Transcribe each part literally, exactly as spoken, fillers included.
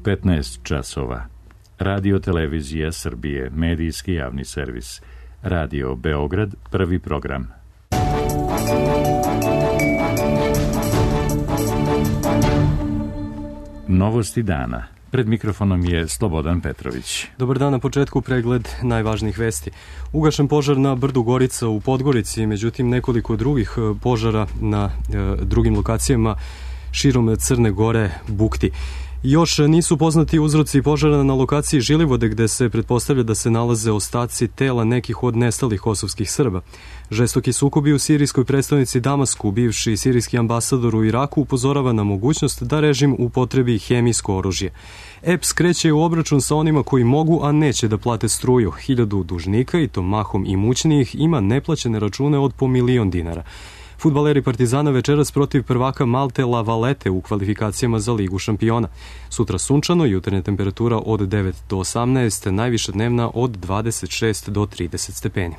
petnaest časova. Radio Televizija Srbije, medijski javni servis. Radio Beograd, prvi program. Novosti dana. Pred mikrofonom je Slobodan Petrović. Dobar dan, na početku pregled najvažnijih vesti. Ugašen požar na brdu Gorica u Podgorici, međutim nekoliko drugih požara na e, drugim lokacijama širom Crne Gore bukti. Još nisu poznati uzroci požara na lokaciji Žilivode, gde se pretpostavlja da se nalaze ostaci tela nekih od nestalih kosovskih Srba. Žestoki sukobi u sirijskoj predstavnici Damasku, bivši sirijski ambasador u Iraku, upozorava na mogućnost da režim upotrebi hemijsko oružje. E P S kreće u obračun sa onima koji mogu, a neće da plate struju. Hiljadu dužnika, i to mahom imućnijih, ima neplaćene račune od po milion dinara. Fudbaleri Partizana večeras protiv prvaka Malte La Valete u kvalifikacijama za Ligu šampiona. Sutra sunčano, jutarnja temperatura od devet do osamnaest, najviša dnevna od dvadeset šest do trideset stepeni.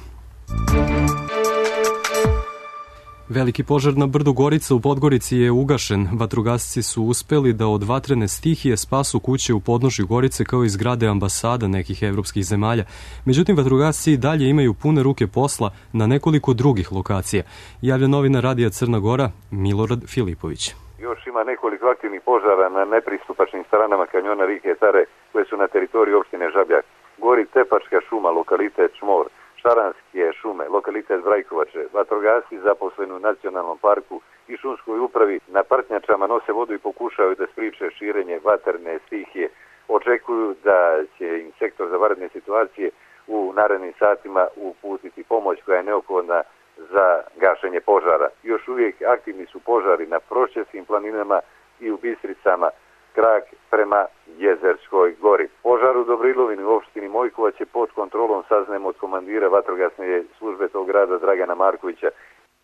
Veliki požar na brdu Gorica u Podgorici je ugašen. Vatrogasci su uspeli da od vatrene stihije spasu kuće u podnožju Gorice kao i zgrade ambasada nekih evropskih zemalja. Međutim, vatrogasci i dalje imaju pune ruke posla na nekoliko drugih lokacija. Javlja novinar Radija Crna Gora Milorad Filipović. Još ima nekoliko aktivnih požara na nepristupačnim stranama kanjona Rike Tare koje su na teritoriji opštine Žabljak. Gori Tepačka šuma, lokalitet Čmor, Šaranske šume, lokalitet Brajkovače. Vatrogasci zaposleni u Nacionalnom parku i šumskoj upravi na Partnjačama nose vodu i pokušaju da spriče širenje vatrene stihije. Očekuju da će im sektor za vanredne situacije u narednim satima uputiti pomoć koja je neophodna za gašenje požara. Još uvijek aktivni su požari na Prošćevskim planinama i u Bistricama, krak prema Jezerskoj gori. Požar u Dobrilovini u opštini Mojkovac je pod kontrolom, saznajemo od komandira vatrogasne službe tog grada Dragana Markovića.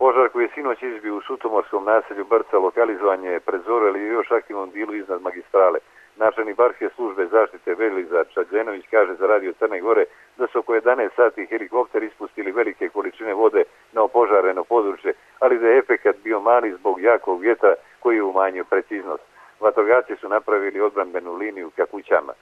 Požar koji je sinoć izbio u Sutomorskom naselju Brca lokalizovan je pred zoru, ali je još aktivnom dilu iznad magistrale. Načelnik Barske službe zaštite Velizar Čađenović kaže za Radio Crne Gore da su oko jedanaest sati helikopter ispustili velike količine vode na opožareno područje, ali da je efekat bio mali zbog jakog vjetra koji je umanjio preciznost. Vatrogasci su napravili odbrambenu liniju ka kućama.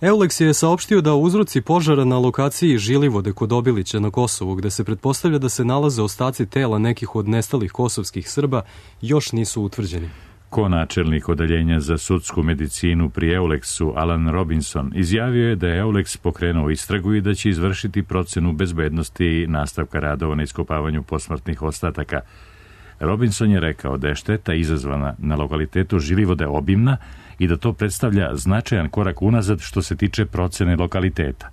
Eulex je saopštio da uzroci požara na lokaciji Žilivode kod Obilića na Kosovu, gde se pretpostavlja da se nalaze ostaci tela nekih od nestalih kosovskih Srba, još nisu utvrđeni. Konačelnik odeljenja za sudsku medicinu pri Eulexu, Alan Robinson, izjavio je da je Eulex pokrenuo istragu i da će izvršiti procenu bezbednosti nastavka radova na iskopavanju posmrtnih ostataka. Robinson je rekao da je šteta izazvana na lokalitetu Žilivode obimna i da to predstavlja značajan korak unazad što se tiče procene lokaliteta.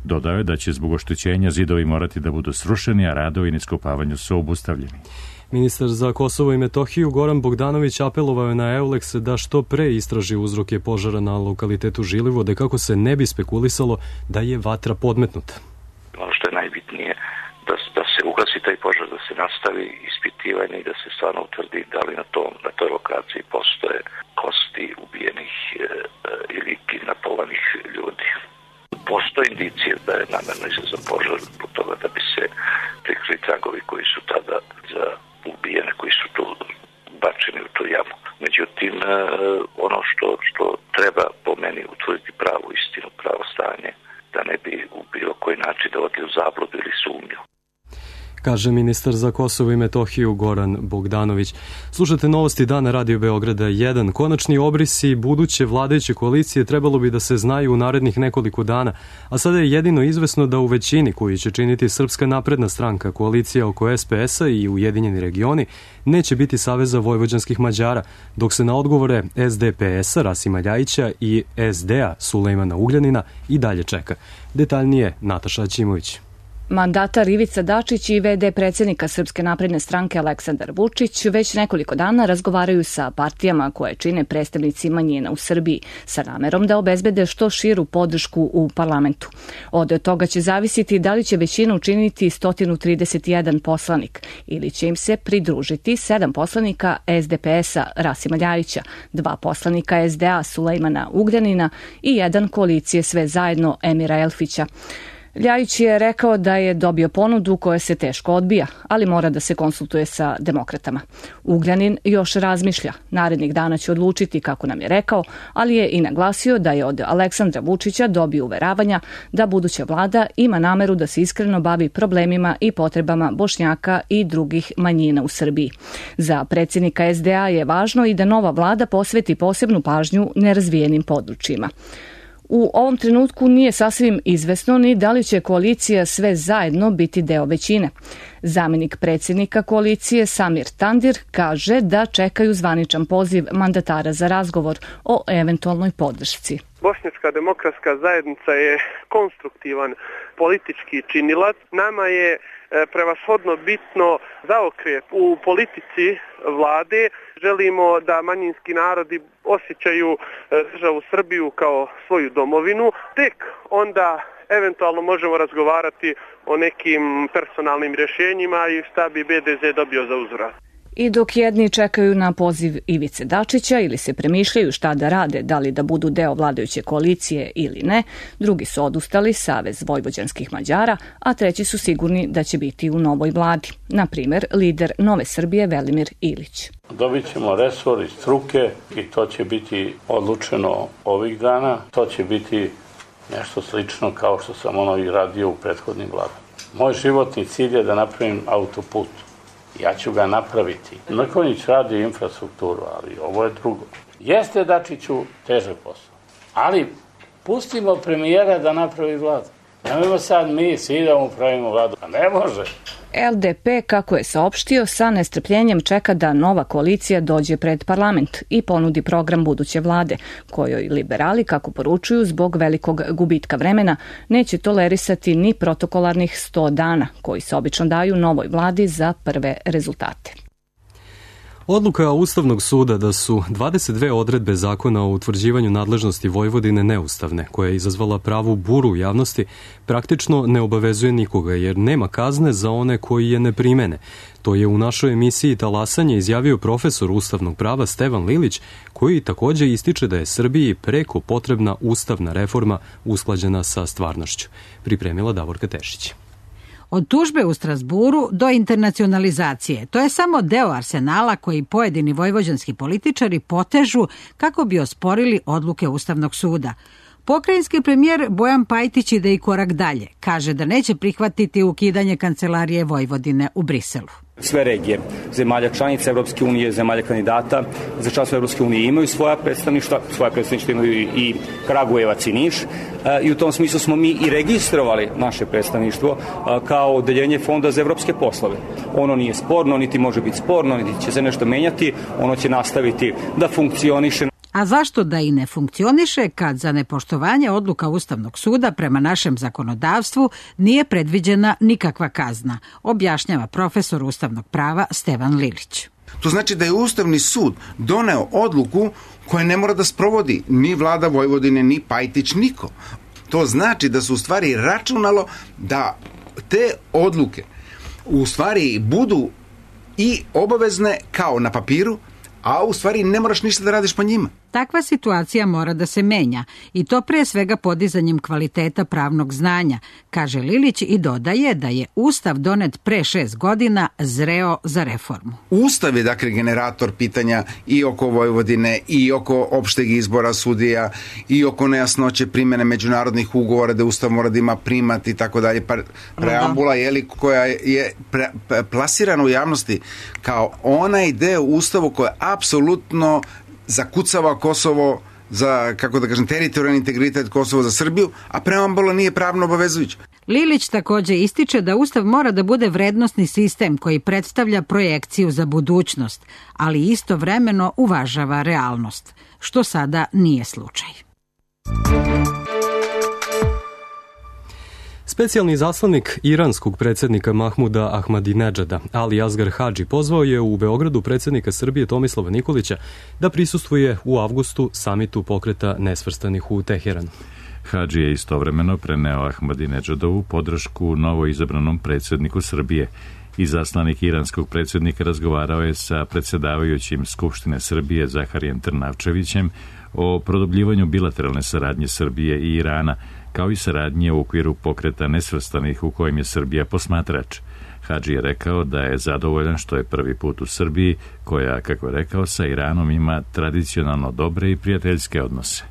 Dodao je da će zbog oštećenja zidovi morati da budu srušeni, a radovi na iskopavanju su obustavljeni. Ministar za Kosovo i Metohiju Goran Bogdanović apelovao je na Eulex da što pre istraži uzroke požara na lokalitetu Žilivode kako se ne bi spekulisalo da je vatra podmetnuta. Ono što je najbitnije da, da se ugasi taj požar, da se nastavi ispitivanje i da se stvarno utvrdi da li na, tom, na toj lokaciji postoje kosti ubijenih e, ili kidnapovanih ljudi. Postoje indicije da je namerno izazvan požar zbog toga da bi se prikrili tragovi koji su tada za ubijene, koji su tu bačeni u tu jamu. Međutim, e, ono što, što treba po meni utvrditi pravu istinu, pravo stanje, da ne bi u bilo koji način dovodili u zabludu ili sumnju. Kaže ministar za Kosovo i Metohiju Goran Bogdanović. Slušate novosti dana Radio Beograda jedan. Konačni obrisi buduće vladajuće koalicije trebalo bi da se znaju u narednih nekoliko dana, a sada je jedino izvesno da u većini koju će činiti Srpska napredna stranka, koalicija oko es pe es a i Ujedinjeni regioni, neće biti Saveza vojvođanskih Mađara, dok se na odgovore es de pe es a Rasima Ljajića i es de a Sulejmana Ugljanina i dalje čeka. Detaljnije Nataša Aćimović. Mandatar Ivica Dačić i ve de predsjednika Srpske napredne stranke Aleksandar Vučić već nekoliko dana razgovaraju sa partijama koje čine predstavnici manjina u Srbiji sa namerom da obezbede što širu podršku u parlamentu. Od toga će zavisiti da li će većinu učiniti sto trideset jedan poslanik ili će im se pridružiti sedam poslanika es de pe es a Rasima Ljajića, dva poslanika es de a Sulejmana Ugljanina i jedan koalicije Sve zajedno Emira Elfića. Ljajić je rekao da je dobio ponudu koja se teško odbija, ali mora da se konsultuje sa demokratama. Ugljanin još razmišlja. Narednih dana će odlučiti, kako nam je rekao, ali je i naglasio da je od Aleksandra Vučića dobio uveravanja da buduća vlada ima nameru da se iskreno bavi problemima i potrebama Bošnjaka i drugih manjina u Srbiji. Za predsjednika es de a je važno i da nova vlada posveti posebnu pažnju nerazvijenim područjima. U ovom trenutku nije sasvim izvesno ni da li će koalicija sve zajedno biti deo većine. Zamjenik predsjednika koalicije Samir Tandir kaže da čekaju zvaničan poziv mandatara za razgovor o eventualnoj podršci. Bošnjačka demokratska zajednica je konstruktivan politički činilac. Nama je prevashodno bitno zaokret u politici vlade. Želimo da manjinski narodi osjećaju državu Srbiju kao svoju domovinu. Tek onda eventualno možemo razgovarati o nekim personalnim rješenjima i šta bi be de ze dobio za uzvrat. I dok jedni čekaju na poziv Ivice Dačića ili se premišljaju šta da rade, da li da budu deo vladajuće koalicije ili ne, drugi su odustali, Savez vojvođanskih Mađara, a treći su sigurni da će biti u novoj vladi. Na primjer, lider Nove Srbije Velimir Ilić. Dobit ćemo resor iz struke i to će biti odlučeno ovih dana. To će biti nešto slično kao što sam ono i radio u prethodnim vladama. Moj životni cilj je da napravim autoput. Ja ću ga napraviti. Mrkonjić radi infrastrukturu, ali ovo je drugo. Jeste, Dačiću, težak posao. Ali pustimo premijera da napravi vladu. Nemojmo sad mi svi da mu pravimo vladu. A ne može. el de pe, kako je saopštio, sa nestrpljenjem čeka da nova koalicija dođe pred parlament i ponudi program buduće vlade, kojoj liberali, kako poručuju, zbog velikog gubitka vremena, neće tolerisati ni protokolarnih sto dana, koji se obično daju novoj vladi za prve rezultate. Odluka Ustavnog suda da su dvadeset dve odredbe zakona o utvrđivanju nadležnosti Vojvodine neustavne, koja je izazvala pravu buru u javnosti, praktično ne obavezuje nikoga, jer nema kazne za one koji je ne primene. To je u našoj emisiji Talasanje izjavio profesor ustavnog prava Stevan Lilić, koji također ističe da je Srbiji preko potrebna ustavna reforma usklađena sa stvarnošću. Pripremila Davorka Tešić. Od tužbe u Strasburu do internacionalizacije, to je samo deo arsenala koji pojedini vojvođanski političari potežu kako bi osporili odluke Ustavnog suda. Pokrajinski premijer Bojan Pajtić ide i korak dalje. Kaže da neće prihvatiti ukidanje kancelarije Vojvodine u Briselu. Sve regije, zemalja članica Evropske unije, zemalja kandidata za članstvo Evropske unije imaju svoja predstavništva, svoja predstavništva imaju i Kragujevac i Niš i u tom smislu smo mi i registrovali naše predstavništvo kao odeljenje Fonda za evropske poslove. Ono nije sporno, niti može biti sporno, niti će se nešto menjati, ono će nastaviti da funkcioniše. A zašto da i ne funkcioniše kad za nepoštovanje odluka Ustavnog suda prema našem zakonodavstvu nije predviđena nikakva kazna, objašnjava profesor ustavnog prava Stevan Lilić. To znači da je Ustavni sud doneo odluku koja ne mora da sprovodi ni vlada Vojvodine, ni Pajtić, niko. To znači da su u stvari računalo da te odluke u stvari budu i obavezne kao na papiru, a u stvari ne moraš ništa da radiš po njima. Takva situacija mora da se menja i to pre svega podizanjem kvaliteta pravnog znanja, kaže Lilić i dodaje da je Ustav donet pre šest godina zreo za reformu. Ustav je dakle generator pitanja i oko Vojvodine, i oko opšteg izbora sudija, i oko nejasnoće primjene međunarodnih ugovora da Ustav mora da ima primat i tako dalje. Preambula je koja je pre, pre, plasirana u javnosti kao onaj deo Ustava koja apsolutno zakucava Kosovo za, kako da kažem, teritorijalni integritet Kosova za Srbiju, a preambula nije pravno obavezujuća. Lilić također ističe da Ustav mora da bude vrednosni sistem koji predstavlja projekciju za budućnost, ali istovremeno uvažava realnost, što sada nije slučaj. Specijalni zaslanik iranskog predsjednika Mahmuda Ahmadinedžada, Ali Asgar Hadži, pozvao je u Beogradu predsjednika Srbije Tomislava Nikolića da prisustvuje u avgustu samitu pokreta nesvrstanih u Teheranu. Hadži je istovremeno preneo Ahmadinedžadovu podršku novo izabranom predsjedniku Srbije. Izaslanik iranskog predsjednika razgovarao je sa predsjedavajućim Skupštine Srbije Zaharijem Trnavčevićem o produbljivanju bilateralne saradnje Srbije i Irana, kao i saradnje u okviru pokreta nesvrstanih u kojem je Srbija posmatrač. Hadži je rekao da je zadovoljan što je prvi put u Srbiji, koja, kako je rekao, sa Iranom ima tradicionalno dobre i prijateljske odnose.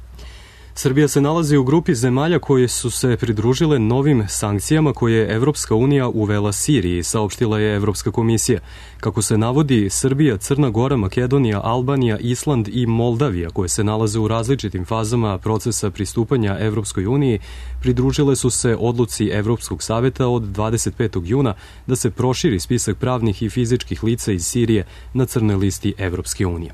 Srbija se nalazi u grupi zemalja koje su se pridružile novim sankcijama koje je Evropska unija uvela Siriji, saopštila je Evropska komisija. Kako se navodi, Srbija, Crna Gora, Makedonija, Albanija, Island i Moldavija, koje se nalaze u različitim fazama procesa pristupanja Evropskoj uniji, pridružile su se odluci Evropskog saveta od dvadeset petog juna da se proširi spisak pravnih i fizičkih lica iz Sirije na crnoj listi Evropske unije.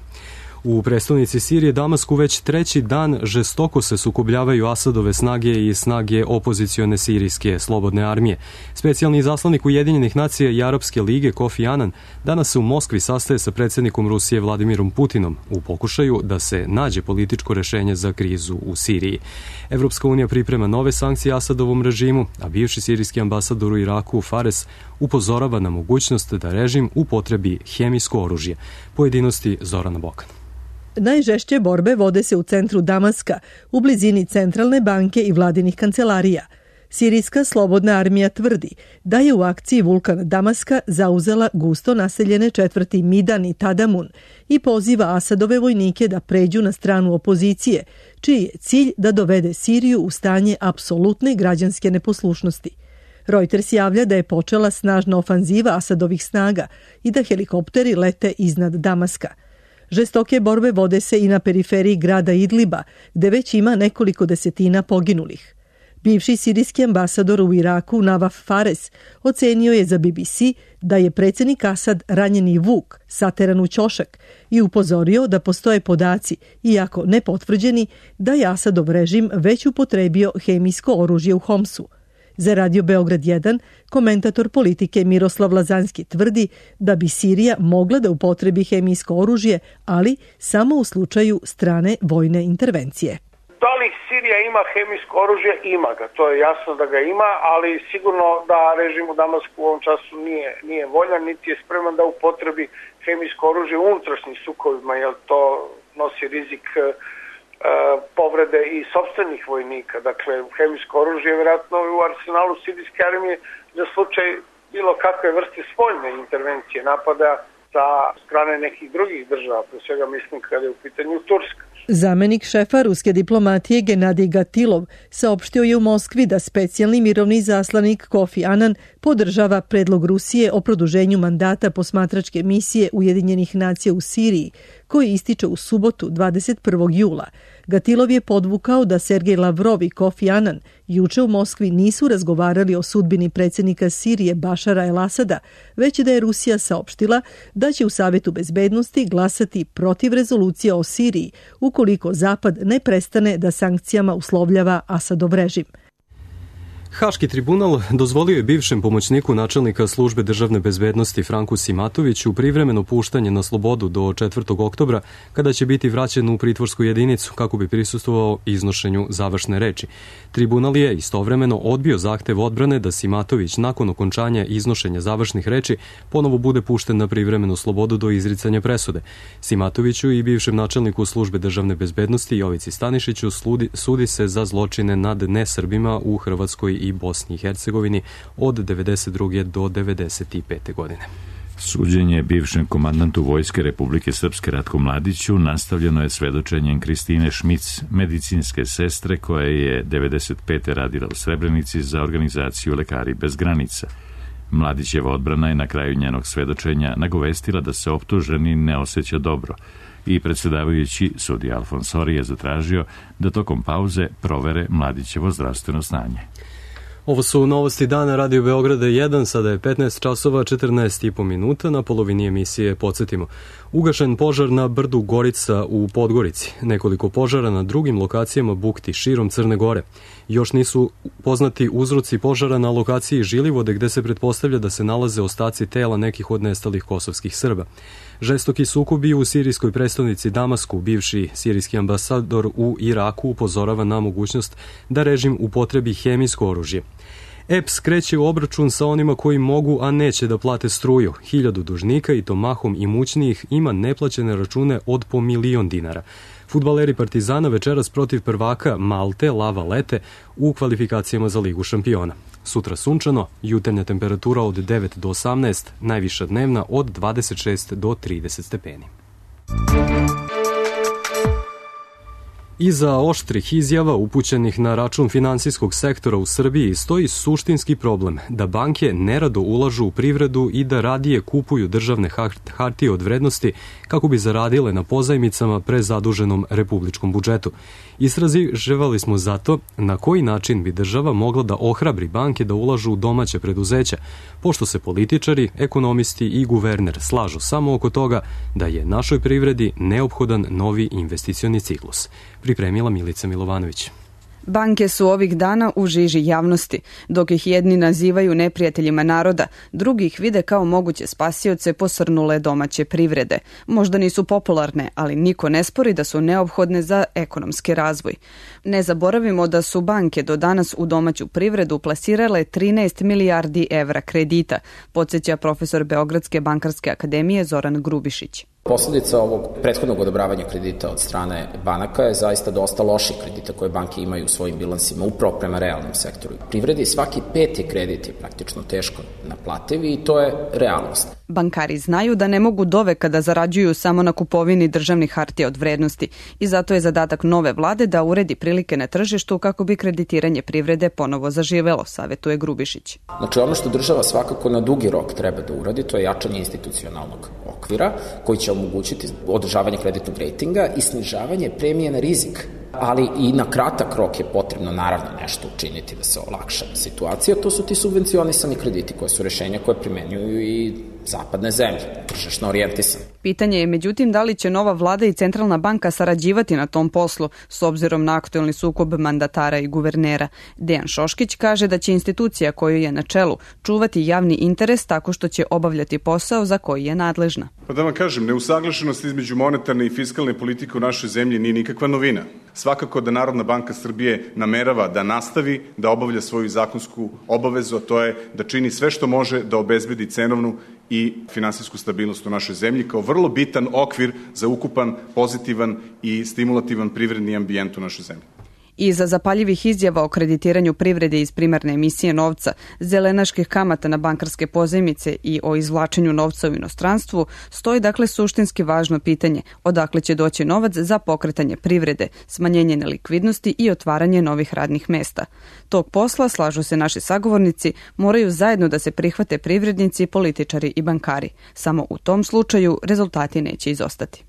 U prestonici Sirije, Damasku, već treći dan žestoko se sukobljavaju Asadove snage i snage opozicione sirijske slobodne armije. Specijalni izaslanik Ujedinjenih nacija i Arapske lige Kofi Anan danas se u Moskvi sastaje sa predsjednikom Rusije Vladimirom Putinom u pokušaju da se nađe političko rešenje za krizu u Siriji. Evropska unija priprema nove sankcije Asadovom režimu, a bivši sirijski ambasador u Iraku Fares upozorava na mogućnost da režim upotrebi hemijsko oružje. Pojedinosti Zorana Bokan. Najžešće borbe vode se u centru Damaska, u blizini centralne banke i vladinih kancelarija. Sirijska slobodna armija tvrdi da je u akciji Vulkan Damaska zauzela gusto naseljene četvrti Midan i Tadamun i poziva Asadove vojnike da pređu na stranu opozicije, čiji je cilj da dovede Siriju u stanje apsolutne građanske neposlušnosti. Reuters javlja da je počela snažna ofanziva Asadovih snaga i da helikopteri lete iznad Damaska. Žestoke borbe vode se i na periferiji grada Idliba, gde već ima nekoliko desetina poginulih. Bivši sirijski ambasador u Iraku Navaf Fares ocenio je za B B C da je predsjednik Asad ranjeni vuk sateran u ćošak i upozorio da postoje podaci, iako nepotvrđeni, da je Asadov režim već upotrebio hemijsko oružje u Homsu. Za Radio Beograd jedan, komentator politike Miroslav Lazanski tvrdi da bi Sirija mogla da upotrebi hemijsko oružje, ali samo u slučaju strane vojne intervencije. Da li Sirija ima hemijsko oružje? Ima ga, to je jasno da ga ima, ali sigurno da režim u Damasku u ovom času nije, nije voljan, niti je spreman da upotrebi hemijsko oružje u unutrašnjim sukobima, jer to nosi rizik povrede i sopstvenih vojnika. Dakle, hemijsko oružje je vjerojatno u arsenalu sirijske armije za slučaj bilo kakve vrste spoljne intervencije, napada sa strane nekih drugih država, pre svega mislim kada je u pitanju Turska. Zamenik šefa ruske diplomatije Genadij Gatilov saopštio je u Moskvi da specijalni mirovni izaslanik Kofi Anan podržava predlog Rusije o produženju mandata posmatračke misije Ujedinjenih nacija u Siriji, koji ističe u subotu dvadeset prvog jula. Gatilov je podvukao da Sergej Lavrov i Kofi Anan juče u Moskvi nisu razgovarali o sudbini predsjednika Sirije Bašara el-Asada, već da je Rusija saopštila da će u Savetu bezbednosti glasati protiv rezolucije o Siriji ukoliko Zapad ne prestane da sankcijama uslovljava Asadov režim. Haški tribunal dozvolio je bivšem pomoćniku načelnika službe državne bezbednosti Franku Simatoviću privremeno puštanje na slobodu do četvrtog oktobra, kada će biti vraćen u pritvorsku jedinicu kako bi prisustvovao iznošenju završne reči. Tribunal je istovremeno odbio zahtev odbrane da Simatović nakon okončanja iznošenja završnih reči ponovo bude pušten na privremenu slobodu do izricanja presude. Simatoviću i bivšem načelniku službe državne bezbednosti Jovici Stanišiću sludi, sudi se za zločine nad nesrbima u Hrvatskoj i Bosni i Hercegovini od devedeset druge do devedeset pete godine. Suđenje bivšem komandantu Vojske Republike Srpske Ratku Mladiću nastavljeno je svedočenjem Kristine Šmic, medicinske sestre koja je devedeset pete radila u Srebrenici za organizaciju Lekari bez granica. Mladićeva odbrana je na kraju njenog svedočenja nagovestila da se optuženi ne osjeća dobro i predsjedavajući sudija Alfonsori je zatražio da tokom pauze provere Mladićevo zdravstveno stanje. Ovo su novosti dana Radio Beograda jedan, sada je petnaest časova četrnaest i po minuta, na polovini emisije podsjetimo. Ugašen požar na brdu Gorica u Podgorici, nekoliko požara na drugim lokacijama bukti širom Crne Gore. Još nisu poznati uzroci požara na lokaciji Žilivode gde se pretpostavlja da se nalaze ostaci tela nekih od nestalih kosovskih Srba. Žestoki sukobi u sirijskoj prestonici Damasku, bivši sirijski ambasador u Iraku upozorava na mogućnost da režim upotrebi hemijsko oružje. E P S kreće u obračun sa onima koji mogu, a neće da plate struju. Hiljadu dužnika i to mahom imućnijih ima neplaćene račune od po milion dinara. Fudbaleri Partizana večeras protiv prvaka Malte La Valette u kvalifikacijama za Ligu šampiona. Sutra sunčano, jutarnja temperatura od devet do osamnaest, najviša dnevna od dvadeset šest do trideset stepeni. Iza oštrih izjava upućenih na račun finansijskog sektora u Srbiji stoji suštinski problem da banke nerado ulažu u privredu i da radije kupuju državne hartije od vrednosti kako bi zaradile na pozajmicama prezaduženom republičkom budžetu. Istraživali smo zato na koji način bi država mogla da ohrabri banke da ulažu u domaće preduzeća, pošto se političari, ekonomisti i guverner slažu samo oko toga da je našoj privredi neophodan novi investicioni ciklus. Pripremila Milica Milovanović. Banke su ovih dana u žiži javnosti, dok ih jedni nazivaju neprijateljima naroda, drugi ih vide kao moguće spasioce posrnule domaće privrede. Možda nisu popularne, ali niko ne spori da su neophodne za ekonomski razvoj. Ne zaboravimo da su banke do danas u domaću privredu plasirale trinaest milijardi evra kredita, podsjeća profesor Beogradske bankarske akademije Zoran Grubišić. Posledica ovog prethodnog odobravanja kredita od strane banaka je zaista dosta loših kredita koje banke imaju u svojim bilansima upravo prema realnom sektoru. Privredi svaki peti kredit je praktično teško naplativ i to je realnost. Bankari znaju da ne mogu doveka da zarađuju samo na kupovini državnih hartija od vrednosti i zato je zadatak nove vlade da uredi prilike na tržištu kako bi kreditiranje privrede ponovo zaživelo, savetuje Grubišić. Znači ono što država svakako na dugi rok treba da uradi, to je jačanje institucionalnog okvira koji će omogućiti održavanje kreditnog rejtinga i snižavanje premije na rizik. Ali i na kratak rok je potrebno naravno nešto učiniti da se olakša situacija. To su ti subvencionisani krediti koje su rešenja koje primenjuju i zapadne zemlje, tržišno orijentisane. Pitanje je međutim da li će nova vlada i centralna banka sarađivati na tom poslu s obzirom na aktuelni sukob mandatara i guvernera. Dejan Šoškić kaže da će institucija koju je na čelu čuvati javni interes tako što će obavljati posao za koji je nadležna. Pa da vam kažem, neusaglašenost između monetarne i fiskalne politike u našoj zemlji nije nikakva novina. Svakako da Narodna banka Srbije namerava da nastavi da obavlja svoju zakonsku obavezu, a to je da čini sve što može da obezbedi cenovnu i finansijsku stabilnost u našoj zemlji kao vrlo bitan okvir za ukupan, pozitivan i stimulativan privredni ambijent u našoj zemlji. Iza zapaljivih izjava o kreditiranju privrede iz primarne emisije novca, zelenaških kamata na bankarske pozajmice i o izvlačenju novca u inostranstvu stoji dakle suštinski važno pitanje odakle će doći novac za pokretanje privrede, smanjenje nelikvidnosti i otvaranje novih radnih mesta. Tog posla, slažu se naši sagovornici, moraju zajedno da se prihvate privrednici, političari i bankari. Samo u tom slučaju rezultati neće izostati.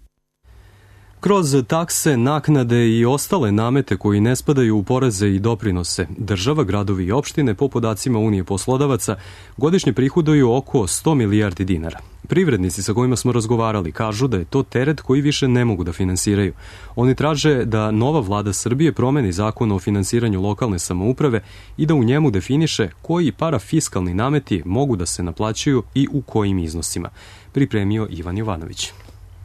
Kroz takse, naknade i ostale namete koji ne spadaju u poreze i doprinose, država, gradovi i opštine, po podacima Unije poslodavaca, godišnje prihoduju oko sto milijardi dinara. Privrednici sa kojima smo razgovarali kažu da je to teret koji više ne mogu da finansiraju. Oni traže da nova vlada Srbije promeni zakon o finansiranju lokalne samouprave i da u njemu definiše koji parafiskalni nameti mogu da se naplaćuju i u kojim iznosima. Pripremio Ivan Jovanović.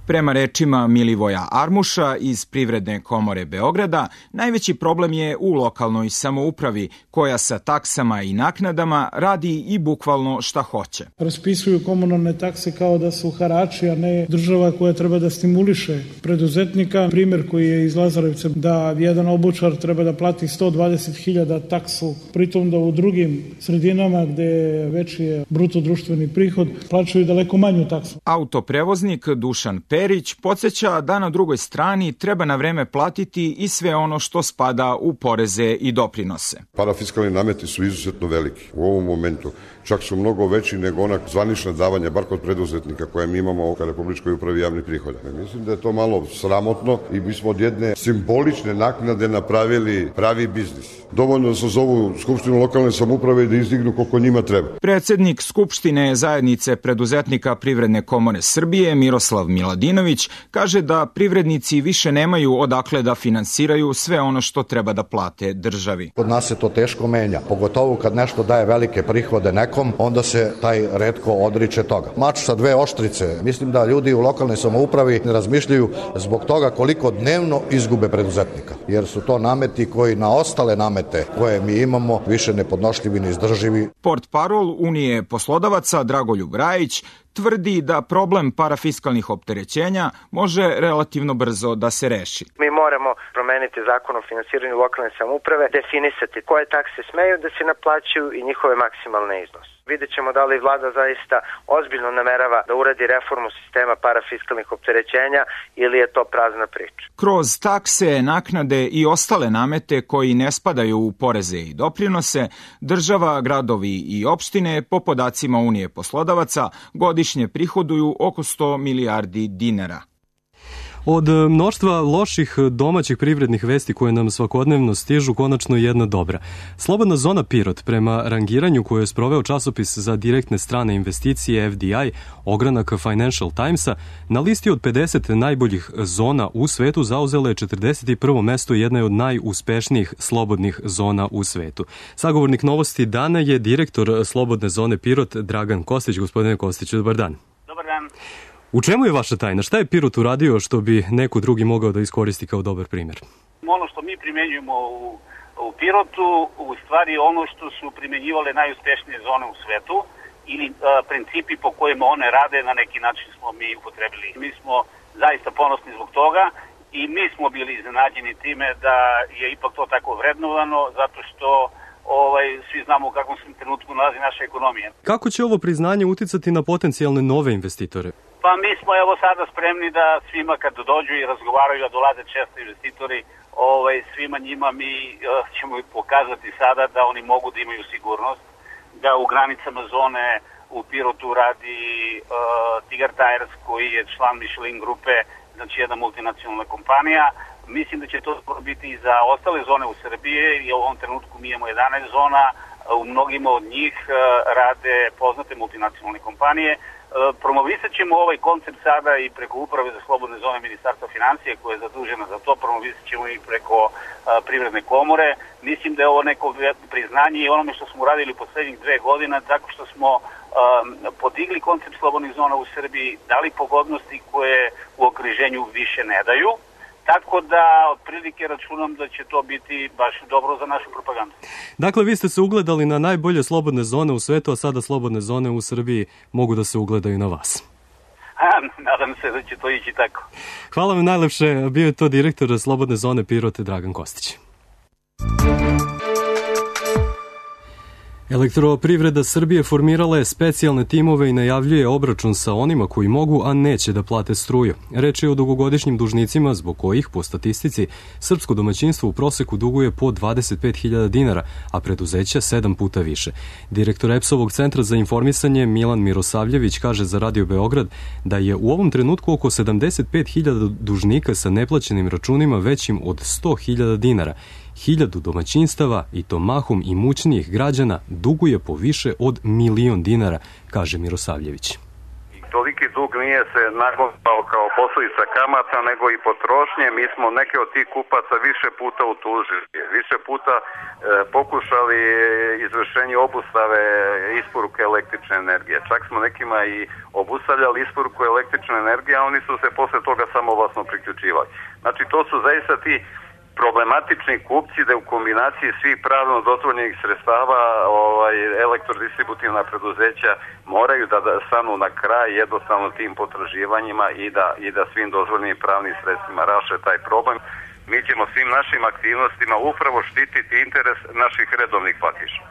Prema rečima Milivoja Armuša iz Privredne komore Beograda, najveći problem je u lokalnoj samoupravi, koja sa taksama i naknadama radi i bukvalno šta hoće. Raspisuju komunalne takse kao da su harači, a ne država koja treba da stimuliše preduzetnika. Primer koji je iz Lazarevca, da jedan obućar treba da plati sto dvadeset hiljada taksu, pritom da u drugim sredinama gde veći je bruto društveni prihod plaćaju daleko manju taksu. Autoprevoznik Dušan Perić podsjeća da na drugoj strani treba na vreme platiti i sve ono što spada u poreze i doprinose. Parafiskalni nameti su izuzetno veliki u ovom momentu. Čak su mnogo veći nego ona zvanična davanja, bar kod preduzetnika koje mi imamo u Republičkoj upravi javnih prihoda. Mislim da je to malo sramotno i mi smo od jedne simbolične naknade napravili pravi biznis. Dovoljno da se zovu Skupštinu lokalne samouprave i da izdignu koliko njima treba. Predsednik Skupštine zajednice preduzetnika Privredne komore Srbije, Miroslav Miladinović, kaže da privrednici više nemaju odakle da finansiraju sve ono što treba da plate državi. Kod nas se to teško menja, pogotovo kad nešto daje velike prihode nekom, onda se taj retko odriče toga. Mač sa dve oštrice. Mislim da ljudi u lokalnoj samoupravi ne razmišljaju zbog toga koliko dnevno izgube preduzetnika, jer su to nameti koji na ostale namete koje mi imamo više nepodnošljivi, neizdrživi. Portparol Unije poslodavaca Dragoljub Rajić tvrdi da problem parafiskalnih opterećenja može relativno brzo da se reši. Mi moramo promeniti zakon o finansiranju lokalne samouprave, definisati koje takse smeju da se naplaćuju i njihove maksimalne iznose. Vidjet ćemo da li vlada zaista ozbiljno namerava da uradi reformu sistema parafiskalnih opterećenja ili je to prazna priča. Kroz takse, naknade i ostale namete koji ne spadaju u poreze i doprinose, država, gradovi i opštine, po podacima Unije poslodavaca, godišnje prihoduju oko sto milijardi dinara. Od mnoštva loših domaćih privrednih vesti koje nam svakodnevno stižu, konačno jedna dobra. Slobodna zona Pirot, prema rangiranju koje je sproveo časopis za direktne strane investicije F D I, ogranak Financial Timesa, na listi od pedeset najboljih zona u svetu zauzela je četrdeset prvo mesto i jedna je od najuspešnijih slobodnih zona u svetu. Sagovornik Novosti dana je direktor Slobodne zone Pirot, Dragan Kostić. Gospodine Kostiću, dobar dan. Dobar dan. U čemu je vaša tajna? Šta je Pirot uradio što bi neko drugi mogao da iskoristi kao dobar primjer? Ono što mi primenjujemo u, u Pirotu, u stvari ono što su primenjivale najuspešnije zone u svetu ili a, principi po kojima one rade, na neki način smo mi upotrebili. Mi smo zaista ponosni zbog toga i mi smo bili iznenađeni time da je ipak to tako vrednovano, zato što ovaj, svi znamo u kakvom se trenutku nalazi naša ekonomija. Kako će ovo priznanje uticati na potencijalne nove investitore? Pa mi smo evo sada spremni da svima kad dođu i razgovaraju, a dolaze često investitori, ovaj, svima njima mi uh, ćemo pokazati sada da oni mogu da imaju sigurnost, da u granicama zone u Pirotu radi uh, Tigar Tires koji je član Michelin grupe, znači jedna multinacionalna kompanija. Mislim da će to biti i za ostale zone u Srbiji i u ovom trenutku mi imamo jedanaest zona, u mnogima od njih uh, rade poznate multinacionalne kompanije. Promovisat ćemo ovaj koncept sada i preko Uprave za slobodne zone Ministarstva financije koja je zadužena za to, promovisat ćemo i preko a, Privredne komore. Mislim da je ovo neko priznanje i onome što smo uradili u poslednjih dve godina, tako što smo a, podigli koncept slobodnih zona u Srbiji, dali pogodnosti koje u okruženju više ne daju. Tako da, otprilike računam da će to biti baš dobro za našu propagandu. Dakle, vi ste se ugledali na najbolje slobodne zone u svetu, a sada slobodne zone u Srbiji mogu da se ugledaju na vas. Nadam se da će to ići tako. Hvala vam najlepše. Bio je to direktor Slobodne zone Pirot, Dragan Kostić. Elektroprivreda Srbije formirala je specijalne timove i najavljuje obračun sa onima koji mogu, a neće da plate struju. Reč je o dugogodišnjim dužnicima zbog kojih, po statistici, srpsko domaćinstvo u proseku duguje po dvadeset pet hiljada dinara, a preduzeća sedam puta više. Direktor E P S-ovog centra za informisanje Milan Mirosavljević kaže za Radio Beograd da je u ovom trenutku oko sedamdeset pet hiljada dužnika sa neplaćenim računima većim od sto hiljada dinara. Hiljadu domaćinstava, i to mahom imućnijih građana, duguje po više od milion dinara, kaže Mirosavljević. Toliki dug nije se nagomao kao posljedica kamata, nego i potrošnje. Mi smo neke od tih kupaca više puta utužili, više puta e, pokušali izvršenje obustave isporuke električne energije. Čak smo nekima i obustavljali isporuku električne energije, a oni su se posle toga samovlasno priključivali. Znači, to su zaista ti problematični kupci da u kombinaciji svih pravno dozvoljenih sredstava ovaj, elektrodistributivna preduzeća moraju da, da stanu na kraj jednostavno tim potraživanjima i da, i da svim dozvoljenim pravnim sredstvima raše taj problem. Mi ćemo svim našim aktivnostima upravo štititi interes naših redovnih platiša.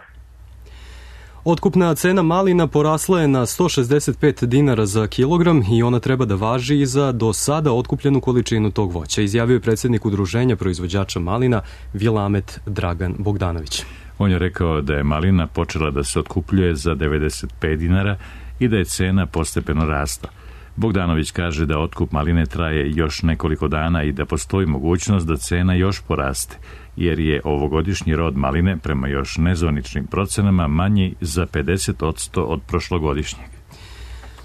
Otkupna cena malina porasla je na sto šezdeset pet dinara za kilogram i ona treba da važi i za do sada otkupljenu količinu tog voća, izjavio je predsjednik Udruženja proizvođača malina Vilamet Dragan Bogdanović. On je rekao da je malina počela da se otkupljuje za devedeset pet dinara i da je cena postepeno rasla. Bogdanović kaže da otkup maline traje još nekoliko dana i da postoji mogućnost da cena još poraste, jer je ovogodišnji rod maline prema još nezvaničnim procenama manji za pedeset posto od prošlogodišnjeg.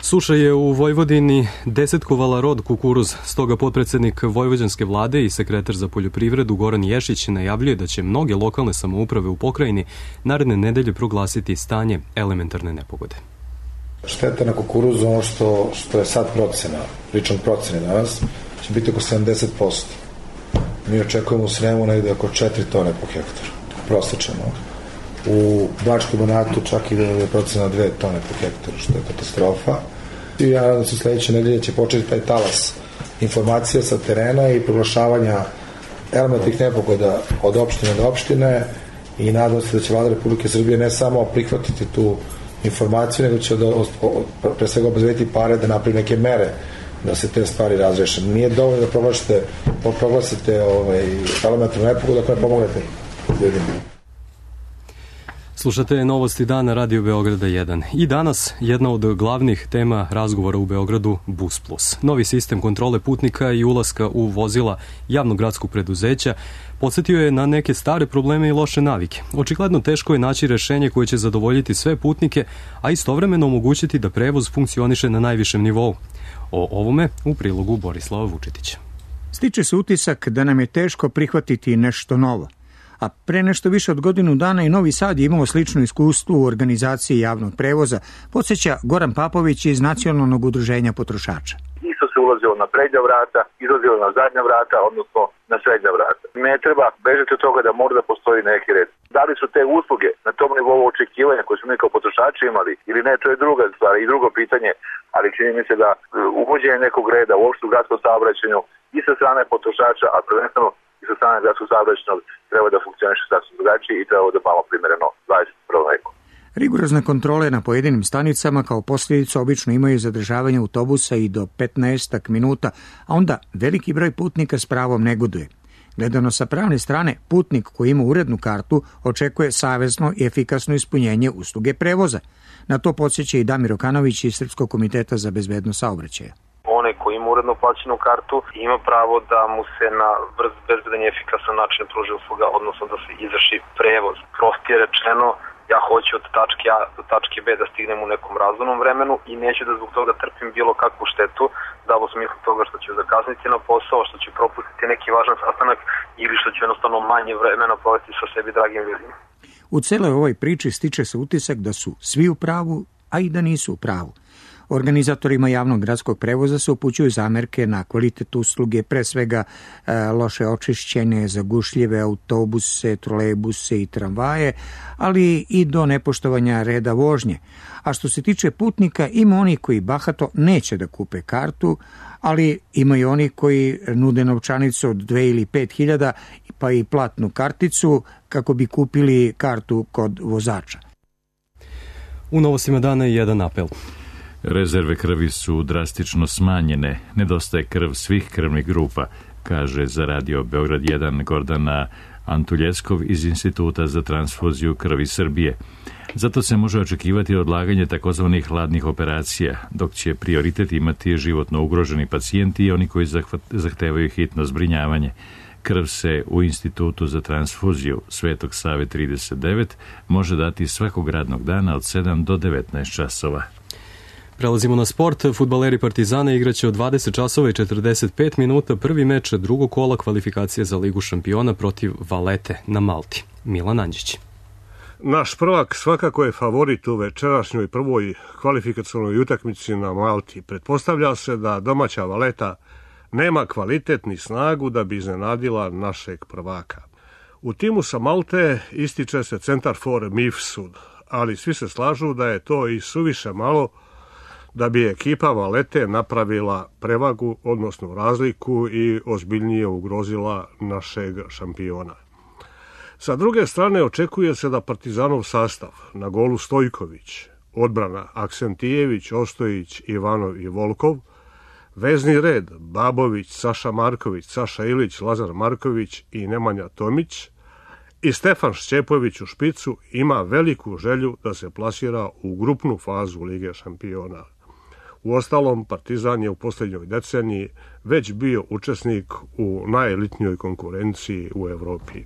Suša je u Vojvodini desetkovala rod kukuruz, stoga potpredsednik Vojvođanske vlade i sekretar za poljoprivredu Goran Ješić najavljuje da će mnoge lokalne samouprave u pokrajini naredne nedelje proglasiti stanje elementarne nepogode. Šteta na kukuruzu, ono što, što je sad procena, pričam procene danas, će biti oko sedamdeset posto. Mi očekujemo u Sremu negde oko četiri tone po hektaru, prosječeno. U Bačkom Banatu čak i da je procena dve tone po hektaru, što je katastrofa. I ja nadam se sledeće nedelje će početi taj talas informacija sa terena i proglašavanja elementarnih nepogoda od opštine do opštine i nadam se da će Vlada Republike Srbije ne samo prihvatiti tu informaciju, nego će da, pre svega obezbediti pare da napravi neke mere da se te stvari razreše. Nije dovoljno da proglasite, proglasite ovaj, elementarnu nepogodu ako ne pomognete ljudima. Slušate novosti dana Radio Beograda jedan. I danas jedna od glavnih tema razgovora u Beogradu Bus Plus. Novi sistem kontrole putnika i ulaska u vozila javnog gradskog preduzeća podsjetio je na neke stare probleme i loše navike. Očigledno teško je naći rešenje koje će zadovoljiti sve putnike, a istovremeno omogućiti da prevoz funkcioniše na najvišem nivou. O ovome u prilogu Borislava Vučetića. Stiče se utisak da nam je teško prihvatiti nešto novo. A pre nešto više od godinu dana i Novi Sad je imao slično iskustvo u organizaciji javnog prevoza, podsjeća Goran Papović iz Nacionalnog udruženja potrošača. Isto se ulazilo na prednja vrata, izlazilo na zadnja vrata, odnosno na srednja vrata. Ne treba bežati od toga da mora da postoji neki red. Da li su te usluge na tom nivou očekivanja koje smo mi kao potrošači imali ili ne, to je druga stvar i drugo pitanje, ali čini mi se da uvođenje nekog reda uopšte u gradskom saobraćajanju i sa strane potrošača, a prvenstveno i sa strane gradskog saobraćajnog treba da funkcioniše sasvim drugačije i treba da malo primereno dvadeset prvom veku. Rigorozne kontrole na pojedinim stanicama kao posljedicu obično imaju zadržavanje autobusa i do petnaest minuta, a onda veliki broj putnika s pravom negoduje. Gledano sa pravne strane, putnik koji ima urednu kartu očekuje savesno i efikasno ispunjenje usluge prevoza. Na to podsjeća i Damir Okanović iz Srpskog komiteta za bezbednost saobraćaja. Onaj koji ima uredno plaćenu kartu ima pravo da mu se na brz, bezbedan i efikasan način pruži usluga, odnosno da se izvrši prevoz. Prostije rečeno, ja hoću od tačke A do tačke B da stignem u nekom razumnom vremenu i neću da zbog toga trpim bilo kakvu štetu, da u smislu toga što ću zakasniti na posao, što ću propustiti neki važan sastanak ili što ću jednostavno manje vremena provesti sa sebi dragim ljudima. U celoj ovoj priči stiče se utisak da su svi u pravu, a i da nisu u pravu. Organizatorima javnog gradskog prevoza se upućuju zamerke na kvalitet usluge, pre svega e, loše očišćene, zagušljive autobuse, trolejbuse i tramvaje, ali i do nepoštovanja reda vožnje. A što se tiče putnika, ima oni koji bahato neće da kupe kartu, ali ima i oni koji nude novčanicu od dve ili pet hiljada, pa i platnu karticu kako bi kupili kartu kod vozača. U novostima dana je jedan apel. Rezerve krvi su drastično smanjene, nedostaje krv svih krvnih grupa, kaže za Radio Beograd jedan Gordana Antuljeskov iz Instituta za transfuziju krvi Srbije. Zato se može očekivati odlaganje takozvanih hladnih operacija, dok će prioritet imati životno ugroženi pacijenti i oni koji zahtevaju hitno zbrinjavanje. Krv se u Institutu za transfuziju Svetog Save trideset devet može dati svakog radnog dana od sedam do devetnaest časova. Prelazimo na sport. Fudbaleri Partizana igraće od dvadeset časova i četrdeset pet minuta prvi meč drugog kola kvalifikacije za Ligu šampiona protiv Valete na Malti. Milan Anđić. Naš prvak svakako je favorit u večerašnjoj prvoj kvalifikacionoj utakmici na Malti. Pretpostavlja se da domaća Valeta nema kvalitet ni snagu da bi iznenadila našeg prvaka. U timu sa Malte ističe se centar for Mifsud, ali svi se slažu da je to i suviše malo da bi ekipa Valete napravila prevagu, odnosno razliku i ozbiljnije ugrozila našeg šampiona. Sa druge strane očekuje se da Partizanov sastav na golu Stojković, odbrana Aksentijević, Ostojić, Ivanov i Volkov, vezni red Babović, Saša Marković, Saša Ilić, Lazar Marković i Nemanja Tomić i Stefan Šćepović u špicu ima veliku želju da se plasira u grupnu fazu Lige šampiona. Uostalom, Partizan je u posljednjoj deceniji već bio učesnik u najelitnijoj konkurenciji u Evropi.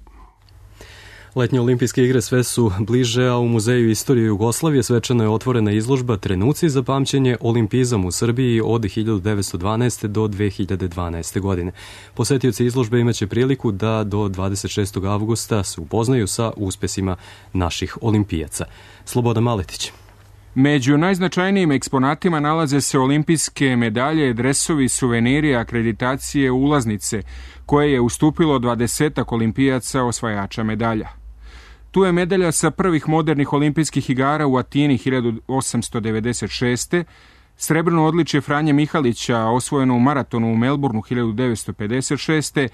Letnje olimpijske igre sve su bliže, a u Muzeju istorije Jugoslavije svečano je otvorena izložba Trenuci za pamćenje olimpizam u Srbiji od hiljadu devetsto dvanaeste. do dve hiljade dvanaeste. godine. Posetioci izložbe imaće priliku da do dvadeset šestog avgusta se upoznaju sa uspesima naših olimpijaca. Slobodan Maletić. Među najznačajnijim eksponatima nalaze se olimpijske medalje, dresovi, suveniri, akreditacije, ulaznice, koje je ustupilo dvadesetak olimpijaca osvajača medalja. Tu je medalja sa prvih modernih olimpijskih igara u Atini hiljadu osamsto devedeset šeste. Srebrno odličje Franje Mihalića osvojeno u maratonu u Melbourneu hiljadu devetsto pedeset šeste.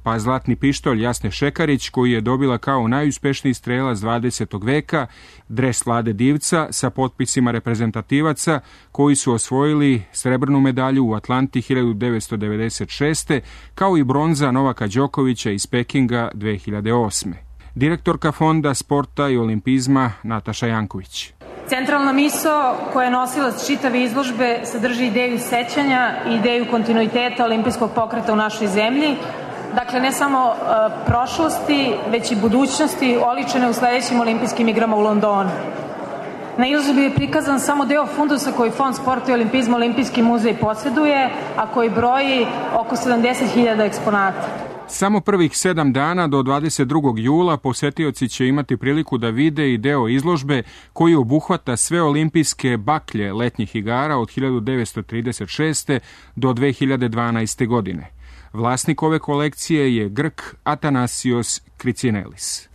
Pa zlatni pištolj Jasne Šekarić, koji je dobila kao najuspešniji strelac dvadesetog veka, dres Vlade Divca sa potpisima reprezentativaca koji su osvojili srebrnu medalju u Atlanti hiljadu devetsto devedeset šeste, kao i bronza Novaka Đokovića iz Pekinga dve hiljade osme. Direktorka Fonda sporta i olimpizma Nataša Janković. Centralna misao koja je nosilac čitave izložbe sadrži ideju sećanja i ideju kontinuiteta olimpijskog pokreta u našoj zemlji. Dakle, ne samo uh, prošlosti, već i budućnosti oličene u sledećim olimpijskim igrama u Londonu. Na izložbi je prikazan samo deo fundusa koji Fond sporta i olimpizma Olimpijski muzej posjeduje, a koji broji oko sedamdeset hiljada eksponata. Samo prvih sedam dana do dvadeset drugog jula posetioci će imati priliku da vide i deo izložbe koji obuhvata sve olimpijske baklje letnjih igara od hiljadu devetsto trideset šeste do dve hiljade dvanaeste. godine. Vlasnik ove kolekcije je Grk Atanasios Kricinelis.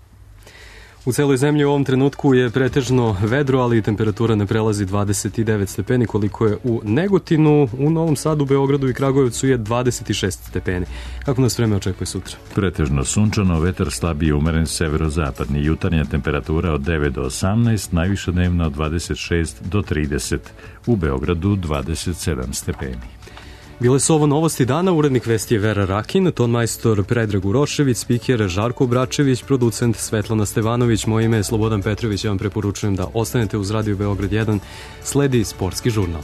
U celoj zemlji u ovom trenutku je pretežno vedro, ali temperatura ne prelazi dvadeset devet stepeni, koliko je u Negotinu. U Novom Sadu, Beogradu i Kragujevcu je dvadeset šest stepeni. Kako nas vreme očekuje sutra? Pretežno sunčano, vetar slabije umeren severozapadni. Jutarnja temperatura od devet do osamnaest, najviša dnevna od dvadeset šest do trideset. U Beogradu dvadeset sedam stepeni. Bile su ovo novosti dana, urednik vesti je Vera Rakin, ton majstor Predrag Urošević, spiker Žarko Bračević, producent Svetlana Stevanović, moje ime je Slobodan Petrović, ja vam preporučujem da ostanete uz Radio Beograd jedan, sledi sportski žurnal.